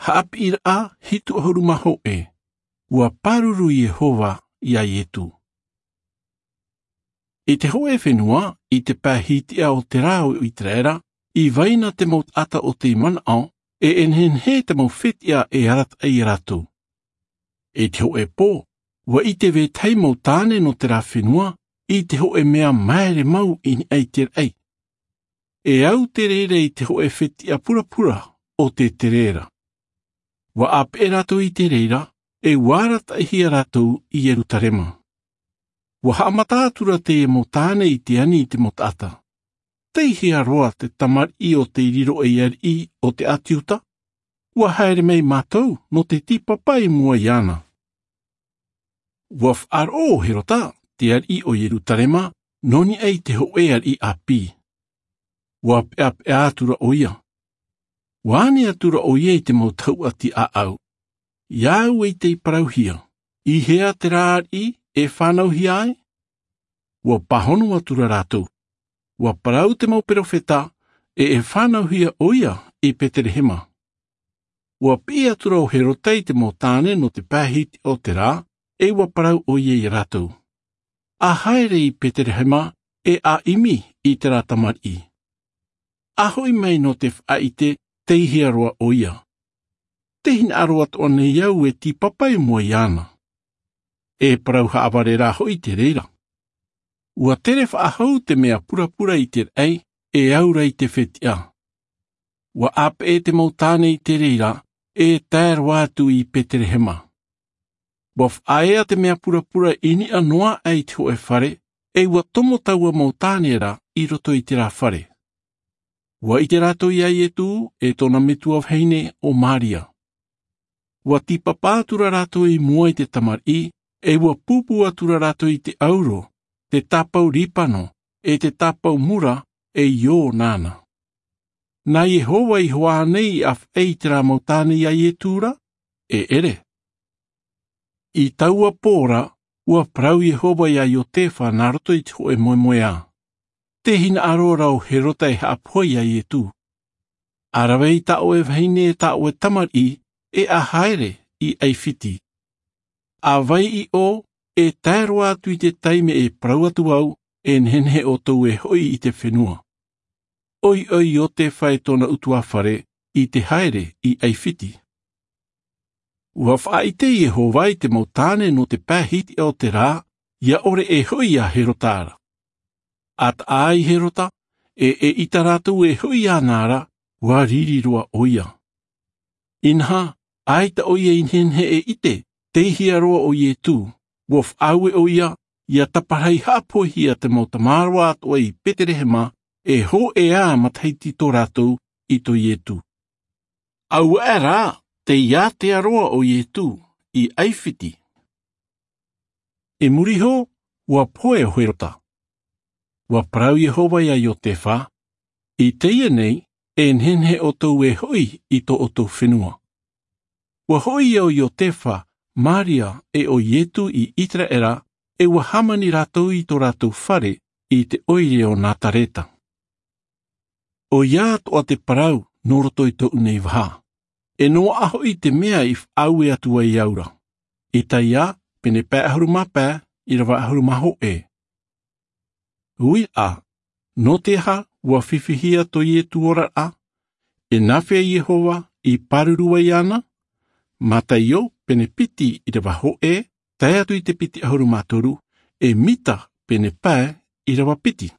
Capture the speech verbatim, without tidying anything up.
Haʻapiʻiraʻa hitu ʻahuru mā hōʻē. Ua pāruru iehova iā ietū. I te hōʻē fenua, i te pae hitiʻa o te rā o iseraela, i vai na te mau taʻata o tei manaʻo, e nehenehe te mau fetiʻa e arataʻi iā rātou. I te hōʻē pō, ua ʻite vetahi mau tāne nō te rā fenua i te hōʻē mea māere mau i niʻa i te raʻi. E au te reira i te hōʻē fetiʻa purapura o te terera. Ua ʻāpeʻe rātou i te reira, e ua arataʻihia rātou i ierutarema. Ua haʻamata atura teie mau tāne i te ani i te mau taʻata. Tei hea roa te tamariʻi o tei riro ei ariʻi o te ʻāti iuda? Ua haere mai mātou nō te tīpapa i mua iāna. Ua faʻaroʻo ʻo herota, te ariʻi o ierutarema, nō niʻa i te hōʻē ariʻi ʻāpī. Ua peʻapeʻa atura ʻoia. Ua ani atura ʻoia i te mau tahuʻa tiʻaʻau. Iā au e tei parauhia, i hea te rā ariʻi e fānauhia ai? Ua pāhono atura rātou. Ua parau te mau perofeta, e e fānauhia ʻoia i peterehema. Ua piʻi atura ʻo herota i te mau tāne nō te pae hitiʻa o te rā, e ua parau ʻoia iā rātou, a haere i peterehema, e a ʻimi i te rā tamariʻi. A hoʻi mai nō te faʻaʻite tei hea roa ʻoia. Te hinaʻaro atoʻa nei au e tīpapa i mua iāna. E parau haʻavare rā hoʻi te reira. Ua tere faʻahou te mea purapura i te raʻi, e aura i te fetiʻa. Ua ʻāpeʻe te mau tāne i te reira, e tae roa atu i peterehema. Ua faʻaea te mea purapura i niʻa noa aʻe i te hōʻē fare, e ua tomo taua mau tāne ra i roto i te rā fare. Ua ʻite rātou iā ietū, e tōna metua vahine ʻo maria. Ua tīpapa atura rātou i mua i te tamariʻi, e ua pūpū atura rātou i te ʻauro, te tāpau ripano, e te tāpau mura, e io nāna. Nā iehova i hoʻi nei i ʻāfaʻi i te rā mau tāne iā ietū ra? E ʻere. I taua pō ra, ua parau iehova iā iotefa nā roto i te hōʻē moemoeā, te hinaʻaro ra ʻo herota e haʻapohe iā ietū. A rave i tā ʻoe vahine e tā ʻoe tamariʻi, e a haere i ʻaifiti. A vai i ʻō, e tae roa atu i te taime e parau atu au, e nehenehe ʻoutou e hoʻi i te fenua. ʻOiʻoi iotefa e tōna ʻutuāfare i te haere i ʻaifiti. Ua faʻaʻite iehova i te mau tāne nō te pae hitiʻa o te rā, ia ʻore e hoʻi iā herota ra. A taʻa ai herota, e eʻita rātou e hoʻi iāna ra, ua riri roa ʻoia. Inaha, ʻaita ʻoia i nehenehe e ʻite tei hea roa ʻo ietū, ua faʻaue ʻoia, ia taparahi haʻapohehia te mau tamaroa atoʻa i peterehema, e hōʻē matahiti tō rātou i tō ietū. Auaʻe rā, tei ātea roa ʻo ietū i ʻaifiti. I muri iho, ua pohe ʻo herota. Ua parau iehova iā iotefa, i teie nei, e nehenehe ʻoutou e hoʻi i tō ʻoutou fenua. Ua hoʻi ʻo iotefa, maria, e ʻo ietū i iseraela, e ua hāmani rātou i tō rātou fare i te ʻoire o nazareta. ʻOia atoʻa te parau nō roto i tōʻu nei vaha. E noaʻa hoʻi te mea i faʻaue atu ai au ra. Isaia, pene pae ʻahuru mā pae, ʻirava ʻahuru mā hōʻē. Uiraʻa, nō te aha ua fifihia tō ietū oraraʻa? E nāfea iehova i pāruru ai iāna? Mataio, pene piti, ʻirava hōʻē, tae atu i te piti ʻahuru mā toru, e mika, pene pae, ʻirava piti.